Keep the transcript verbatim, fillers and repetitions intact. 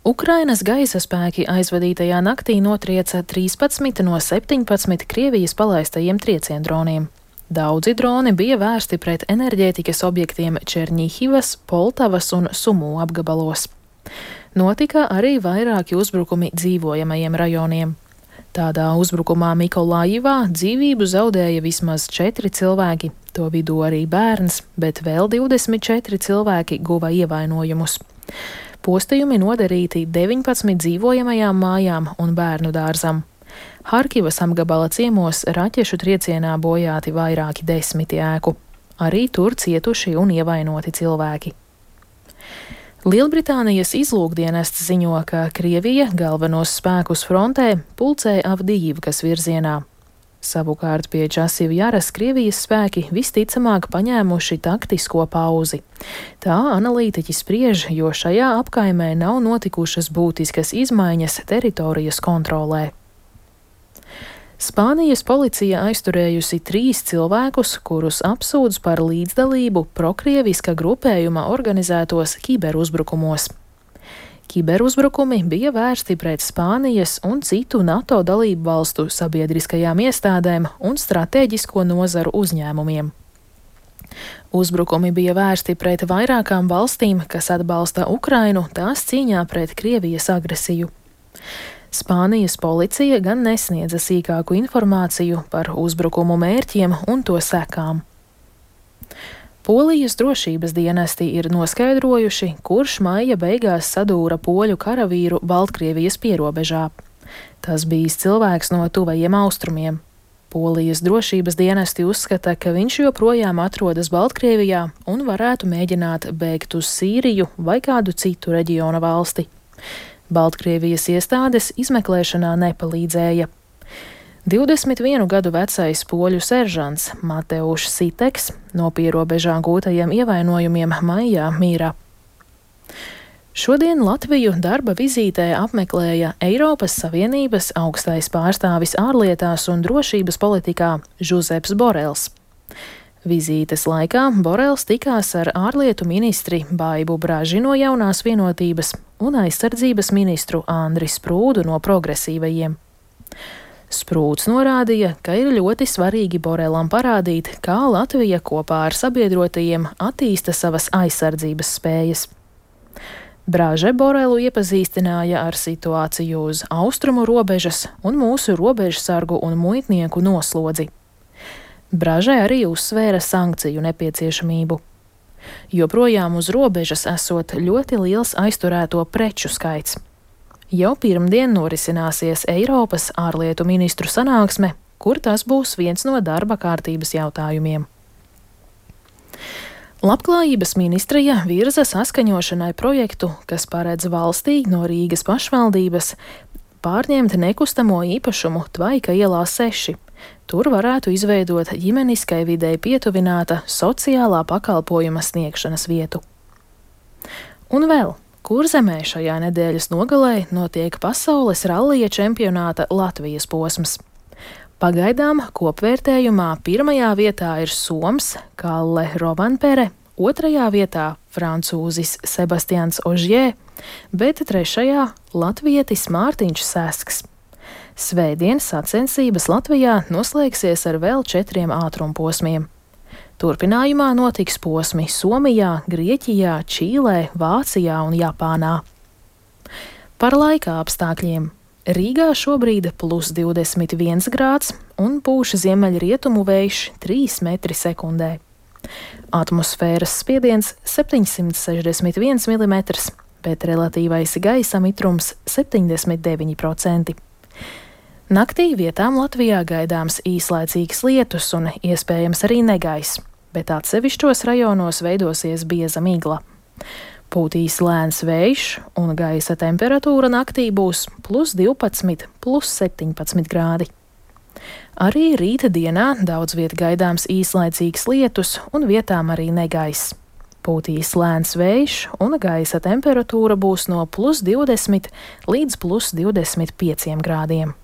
Ukrainas gaisa spēki aizvadītajā naktī notrieca trīspadsmit no septiņpadsmit Krievijas palaistajiem trieciendroniem. Daudzi droni bija vērsti pret enerģētikas objektiem Černihivas, Poltavas un Sumu apgabalos. Notika arī vairāki uzbrukumi dzīvojamajiem rajoniem. Tādā uzbrukumā Mikolājivā dzīvību zaudēja vismaz četri cilvēki, to vidū arī bērns, bet vēl divdesmit četri cilvēki guva ievainojumus. Postījumi nodarīti deviņpadsmit dzīvojamajām mājām un bērnu dārzam. Harkivas apgabala ciemos raķešu triecienā bojāti vairāki desmiti ēku. Arī tur cietuši un ievainoti cilvēki. Lielbritānijas izlūkdienests ziņo, ka Krievija galvenos spēkus frontē pulcē Avdijivkas virzienā. Savukārt pie Časivjaras Krievijas spēki visticamāk paņēmuši taktisko pauzi. Tā analītiķi spriež, jo šajā apkaimē nav notikušas būtiskas izmaiņas teritorijas kontrolē. Spānijas policija aizturējusi trīs cilvēkus, kurus apsūdz par līdzdalību prokrieviska grupējuma organizētos kiberuzbrukumos. Kiberuzbrukumi bija vērsti pret Spānijas un citu NATO dalību valstu sabiedriskajām iestādēm un stratēģisko nozaru uzņēmumiem. Uzbrukumi bija vērsti pret vairākām valstīm, kas atbalsta Ukrainu tās cīņā pret Krievijas agresiju. Spānijas policija gan nesniedza sīkāku informāciju par uzbrukumu mērķiem un to sekām. Polijas drošības dienesti ir noskaidrojuši, kurš maija beigās sadūra poļu karavīru Baltkrievijas pierobežā. Tas bijis cilvēks no tuvajiem austrumiem. Polijas drošības dienesti uzskata, ka viņš joprojām atrodas Baltkrievijā un varētu mēģināt bēgt uz Sīriju vai kādu citu reģiona valsti. Baltkrievijas iestādes izmeklēšanā nepalīdzēja. divdesmit vienu gadu vecais poļu seržants Mateušs Siteks no pierobežā gūtajiem ievainojumiem maijā mīra. Šodien Latviju darba vizītē apmeklēja Eiropas Savienības augstais pārstāvis ārlietās un drošības politikā Žuzeps Borels. Vizītes laikā Borels tikās ar ārlietu ministri Baibu Braži no Jaunās vienotības un aizsardzības ministru Andri Sprūdu no progresīvajiem. Sprūds norādīja, ka ir ļoti svarīgi Borelam parādīt, kā Latvija kopā ar sabiedrotajiem attīsta savas aizsardzības spējas. Braže Borelu iepazīstināja ar situāciju uz austrumu robežas un mūsu robežsargu un muitnieku noslodzi. Braže arī uzsvēra sankciju nepieciešamību. Joprojām uz robežas esot ļoti liels aizturēto preču skaits. Jau pirmdien norisināsies Eiropas ārlietu ministru sanāksme, kur tas būs viens no darba kārtības jautājumiem. Labklājības ministrija virza saskaņošanai projektu, kas paredz valstī no Rīgas pašvaldības pārņemt nekustamo īpašumu Tvaika ielā seši. Tur varētu izveidot ģimeniskai videi pietuvināta sociālā pakalpojuma sniegšanas vietu. Un vēl, Kurzemē šajā nedēļas nogalē notiek pasaules rallija čempionāta Latvijas posms. Pagaidām kopvērtējumā pirmajā vietā ir soms Kalle Rovanpere, otrajā vietā francūzis Sebastians Ožjē, bet trešajā latvietis Mārtiņš Sesks. Svētdien sacensības Latvijā noslēgsies ar vēl četriem ātrumposmiem. Turpinājumā notiks posmi Somijā, Grieķijā, Čīlē, Vācijā un Japānā. Par laika apstākļiem. Rīgā šobrīd plus divdesmit viens grāds un pūš ziemeļrietumu vējš trīs metri sekundē. Atmosfēras spiediens septiņsimt sešdesmit viens milimetrs, bet relatīvais gaisa mitrums septiņdesmit deviņi procenti. Naktī vietām Latvijā gaidāms īslaicīgs lietus un iespējams arī negaiss, bet atsevišķos rajonos veidosies bieza migla. Pūtīs lēns vējš un gaisa temperatūra naktī būs plus divpadsmit, plus septiņpadsmit grādi. Arī rīta dienā daudz viet gaidāms īslaicīgs lietus un vietām arī negaiss. Pūtīs lēns vējš un gaisa temperatūra būs no plus divdesmit līdz plus divdesmit pieciem grādiem.